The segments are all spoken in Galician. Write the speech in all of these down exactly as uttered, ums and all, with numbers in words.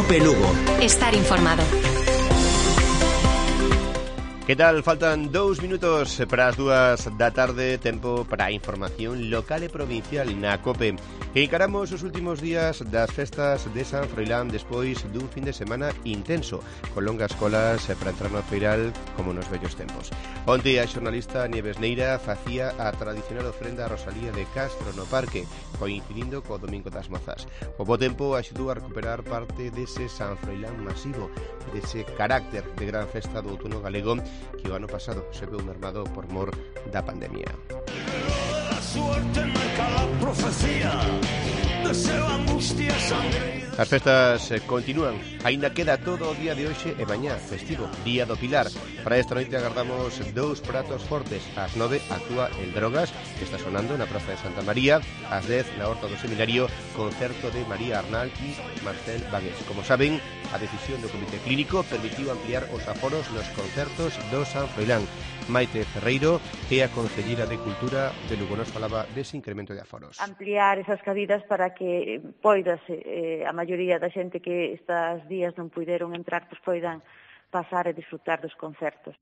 Cope Lugo. Estar informado. Que tal? Faltan dous minutos para as dúas da tarde, tempo para a información local e provincial na Cope. E encaramos os últimos días das festas de San Froilán despois dun fin de semana intenso, con longas colas para entrar no feiral como nos vellos tempos. Onte a xornalista Nieves Neira facía a tradicional ofrenda a Rosalía de Castro no parque, coincidindo co Domingo das Mozas. O bo tempo axudou a recuperar parte dese San Froilán masivo, dese carácter de gran festa do outono galego que o ano pasado se veu mermado por mor da pandemia. As festas continúan, aínda queda todo o día de hoxe e mañá, festivo, Día do Pilar. Para esta noite agardamos dous pratos fortes. Ás nove actúa El Drogas, que está sonando na Praza de Santa María. Ás dez, na Horta do Seminario, concerto de María Arnal e Marcel Bagués. Como saben, a decisión do Comité Clínico permitiu ampliar os aforos nos concertos do San Froilán. Maite Ferreiro é a concelleira de Cultura de Lugo, nos falaba dese incremento de aforos. Ampliar esas cabidas para que poidase eh, a maioría da xente que estes días non puideron entrar, pois poidan pasar e disfrutar dos concertos.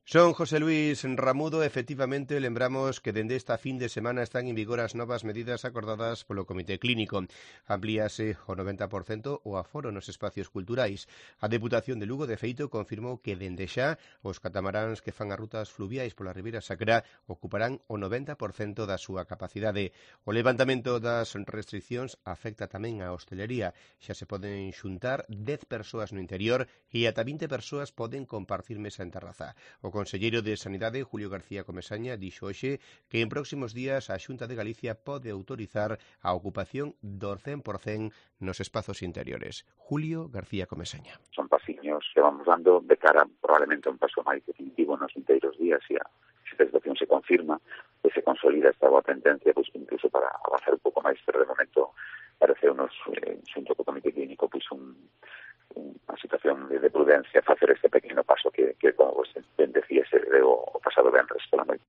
Son José Luis Ramudo. Efectivamente, lembramos que dende esta fin de semana están en vigor as novas medidas acordadas polo Comité Clínico. Amplíase o noventa por cento o aforo nos espacios culturais. A Deputación de Lugo, de feito, confirmou que dende xa os catamaráns que fan as rutas fluviais pola Ribeira Sacra ocuparán o noventa por cento da súa capacidade. O levantamento das restriccións afecta tamén a hostelería. Xa se poden xuntar dez persoas no interior e ata vinte persoas poden compartir mesa en terraza. O conselleiro de Sanidade, Julio García Comesaña, dixo hoxe que en próximos días a Xunta de Galicia pode autorizar a ocupación do cen por cento nos espazos interiores. Julio García Comesaña. Son pasiños que vamos dando de cara probablemente a un paso máis definitivo nos inteiros días e a esta situación se confirma e se consolida esta boa tendencia, pois incluso para avanzar un pouco máis, pero de momento parece unos, eh, xunto co Comité Clínico, pois un unha situación de, de prudencia facer este pequeno paso que, que como vos ben decía, se deu o pasado venres pola noite.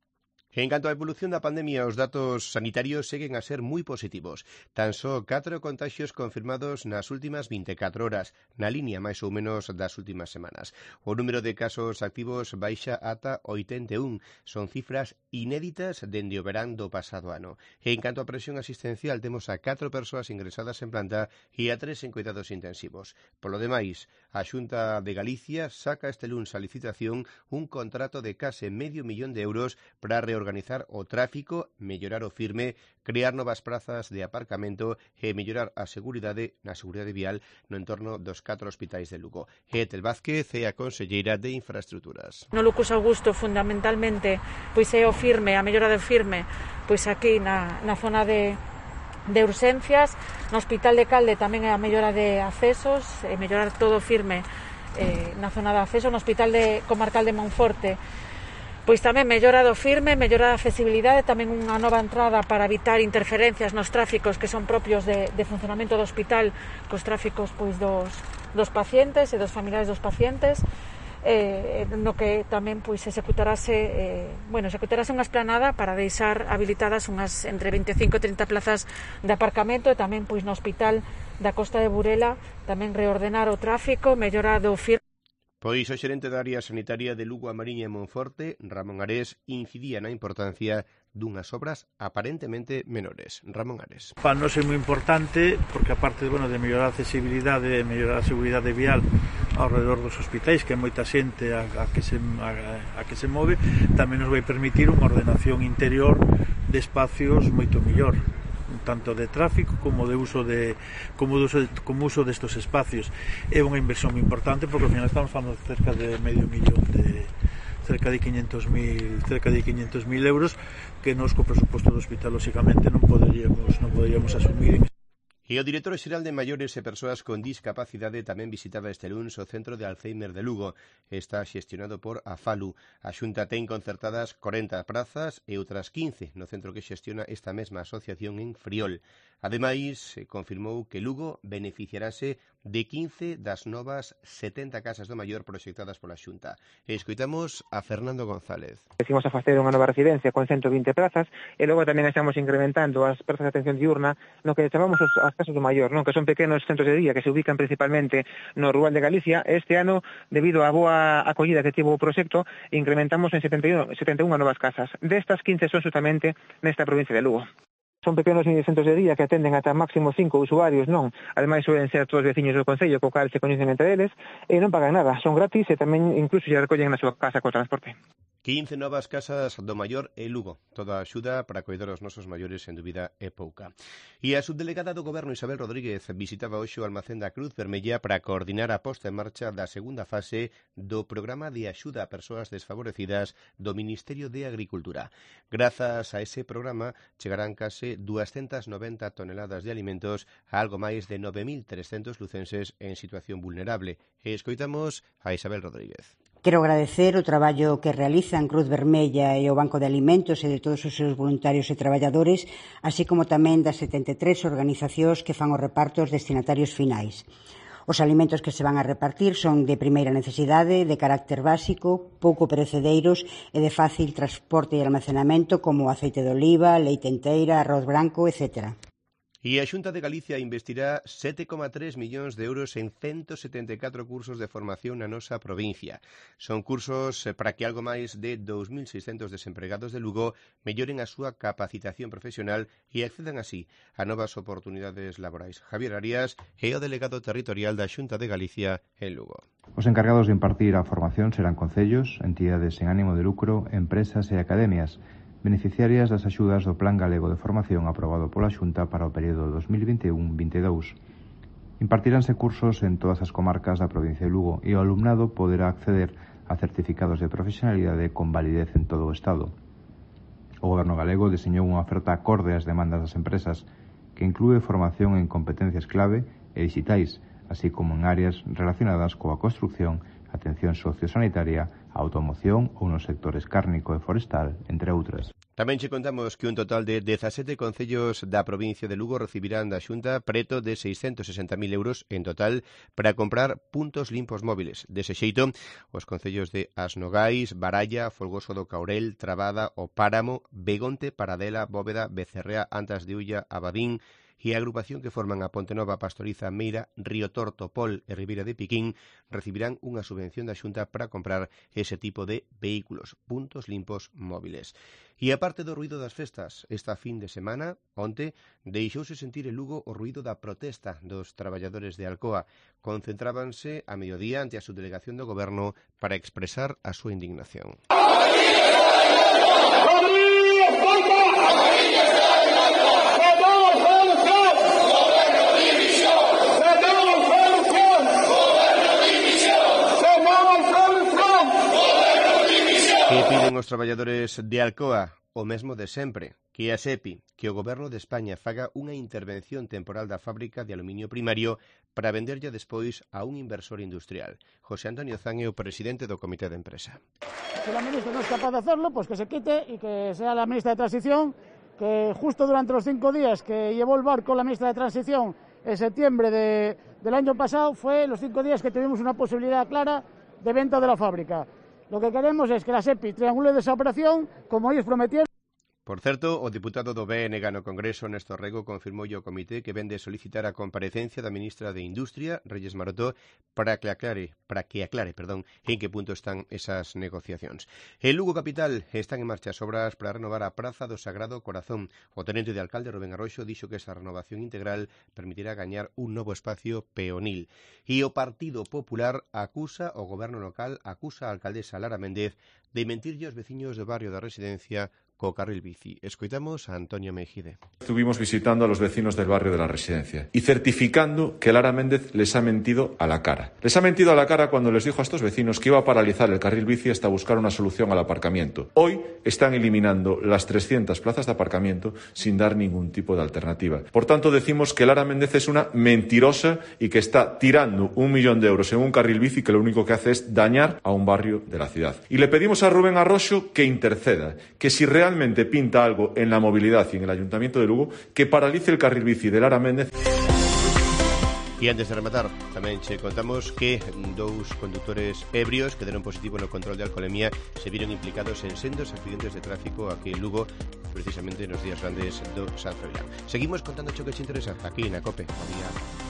En canto á evolución da pandemia, os datos sanitarios seguen a ser moi positivos. Tan só catro contaxios confirmados nas últimas vinte e catro horas, na línea máis ou menos das últimas semanas. O número de casos activos baixa ata oitenta e un. Son cifras inéditas dende o verán do pasado ano. E en canto á presión asistencial, temos a catro persoas ingresadas en planta e a tres en cuidados intensivos. Polo demais, a Xunta de Galicia saca este luns a licitación un contrato de case medio millón de euros para reorganizar organizar o tráfico, mellorar o firme, crear novas prazas de aparcamento e mellorar a seguridade na seguridade vial no entorno dos catro hospitais de Lugo. Etel Vázquez é a conselleira de Infraestruturas. No Lucas Augusto, fundamentalmente, pois é o firme, a mellora do firme, pois aquí na, na zona de de urxencias, no Hospital de Calde tamén é a mellora de accesos, e mellorar todo firme eh, na zona de acceso, no Hospital de Comarcal de Monforte, pois tamén mellora do firme, mellora da accesibilidade, tamén unha nova entrada para evitar interferencias nos tráficos que son propios de, de funcionamento do hospital, cos tráficos pois dos, dos pacientes e dos familiares dos pacientes, eh, no que tamén pois executarase, eh, bueno, executarase unha esplanada para deixar habilitadas unhas entre veinticinco e trinta plazas de aparcamento, e tamén pois no hospital da Costa de Burela tamén reordenar o tráfico, mellora do firme. Pois o xerente da área sanitaria de Lugo, a Mariña e Monforte, Ramón Ares, incidía na importancia dunhas obras aparentemente menores. Ramón Ares. Para nós é moi importante porque aparte bueno, de mellorar a accesibilidade e mellorar a seguridade vial ao redor dos hospitais, que é moita xente a, a, que se, a, a que se move, tamén nos vai permitir unha ordenación interior de espacios moito mellor, tanto de tráfico como de uso de como de uso de, como uso destos espacios. É unha inversión moi importante porque ao final estamos falando de cerca de medio millón de cerca de quinhentos mil cerca de quinhentos mil euros que nos co presuposto do hospital lógicamente non poderíamos non poderíamos asumir. E o director xeral de Maiores e Persoas con Discapacidade tamén visitaba este luns o Centro de Alzheimer de Lugo. Está xestionado por Afalu. A Xunta ten concertadas corenta prazas e outras quince no centro que xestiona esta mesma asociación en Friol. Ademais, confirmou que Lugo beneficiarase de quince das novas setenta casas do maior proxectadas pola Xunta. E escoitamos a Fernando González. Decimos a facer unha nova residencia con ciento vinte plazas e logo tamén estamos incrementando as prazas de atención diurna no que chamamos as casas do maior, non? Que son pequenos centros de día que se ubican principalmente no rural de Galicia. Este ano, debido á boa acollida que tivo o proxecto, incrementamos en setenta e unha novas casas. Destas, quince son justamente nesta provincia de Lugo. Son pequenos centros de día que atenden ata máximo cinco usuarios, non? Ademais, suelen ser todos veciños do concello, co cal se coñecen entre eles, e non pagan nada, son gratis e tamén incluso se recollen na súa casa co transporte. quince novas casas do maior e Lugo. Toda a axuda para coidar os nosos maiores, en dúbida, é pouca. E a subdelegada do Goberno, Isabel Rodríguez, visitaba hoxe o almacén da Cruz Vermella para coordinar a posta en marcha da segunda fase do programa de axuda a persoas desfavorecidas do Ministerio de Agricultura. Grazas a ese programa, chegarán case doscientas noventa toneladas de alimentos a algo máis de nove mil trescentos lucenses en situación vulnerable. E escoitamos a Isabel Rodríguez. Quero agradecer o traballo que realizan Cruz Vermella e o Banco de Alimentos e de todos os seus voluntarios e traballadores, así como tamén das setenta e tres organizacións que fan os repartos destinatarios finais. Os alimentos que se van a repartir son de primeira necesidade, de carácter básico, pouco perecedeiros e de fácil transporte e almacenamento, como aceite de oliva, leite enteira, arroz branco, etcétera. E a Xunta de Galicia investirá sete coma tres millóns de euros en ciento setenta e catro cursos de formación na nosa provincia. Son cursos para que algo máis de dous mil seiscentos desempregados de Lugo melloren a súa capacitación profesional e accedan así a novas oportunidades laborais. Javier Arias é o delegado territorial da Xunta de Galicia en Lugo. Os encargados de impartir a formación serán concellos, entidades sen ánimo de lucro, empresas e academias, beneficiarias das axudas do Plan Galego de Formación aprobado pola Xunta para o período dos mil vinte e un vinte e dous. Impartiránse cursos en todas as comarcas da provincia de Lugo e o alumnado poderá acceder a certificados de profesionalidade con validez en todo o Estado. O Goberno galego deseñou unha oferta acorde ás demandas das empresas que inclúe formación en competencias clave e digitais, así como en áreas relacionadas coa construcción, atención sociosanitaria, a automoción ou nos sectores cárnico e forestal, entre outras. Tamén che contamos que un total de dezasete concellos da provincia de Lugo recibirán da Xunta preto de seiscentos sesenta mil euros en total para comprar puntos limpos móviles. Dese xeito, os concellos de As Nogais, Baralla, Folgoso do Caurel, Trabada, O Páramo, Begonte, Paradela, Bóveda, Becerrea, Antas de Ulla, Abadín e a agrupación que forman a Pontenova, Pastoriza, Meira, Río Torto, Pol e Ribeira de Piquín recibirán unha subvención da Xunta para comprar ese tipo de vehículos, puntos limpos móviles. E aparte do ruído das festas, esta fin de semana, onte, deixouse sentir en Lugo o ruído da protesta dos traballadores de Alcoa. Concentrábanse a mediodía ante a subdelegación do Goberno para expresar a súa indignación. Que piden os traballadores de Alcoa? O mesmo de sempre, que a SEPI, que o Goberno de España faga unha intervención temporal da fábrica de aluminio primario para venderlla despois a un inversor industrial. José Antonio Zan é o presidente do Comité de Empresa. Si la ministra no es capaz de hacerlo, pues que se quite y que sea la ministra de Transición, que justo durante los cinco días que llevó el barco la ministra de Transición en septiembre de, del año pasado, fue los cinco días que tuvimos una posibilidad clara de venta de la fábrica. Lo que queremos es que la SEPI triangule de esa operación, como ellos prometieron. Por certo, o deputado do B N G no Congreso, Néstor Rego, confirmou ao comité que vende solicitar a comparecencia da ministra de Industria, Reyes Marotó, para que aclare, para que aclare, perdón, en que punto están esas negociacións. En Lugo Capital están en marcha as obras para renovar a Praza do Sagrado Corazón. O tenente de alcalde, Rubén Arroxo, dixo que esa renovación integral permitirá gañar un novo espacio peonil. E o Partido Popular acusa o goberno local, acusa a alcaldesa Lara Méndez de mentirlle aos veciños do barrio da Residencia co carril bici. Escoitamos a Antonio Mejide. Estuvimos visitando a los vecinos del barrio de la Residencia y certificando que Lara Méndez les ha mentido a la cara. Les ha mentido a la cara cuando les dijo a estos vecinos que iba a paralizar el carril bici hasta buscar una solución al aparcamiento. Hoy están eliminando las trescientas plazas de aparcamiento sin dar ningún tipo de alternativa. Por tanto, decimos que Lara Méndez es una mentirosa y que está tirando un millón de euros en un carril bici que lo único que hace es dañar a un barrio de la ciudad. Y le pedimos a Rubén Arroxo que interceda, que si realmente realmente pinta algo en la movilidad y en el Ayuntamiento de Lugo, que paralice el carril bici de Lara Méndez. E antes de rematar, tamén che contamos que dous condutores ebrios que deron positivo no control de alcoholemia se viron implicados en sendos accidentes de tráfico aquí en Lugo, precisamente nos días grandes do San Froilán. Seguimos contando cho que che interesa aquí na COPE. Buen día.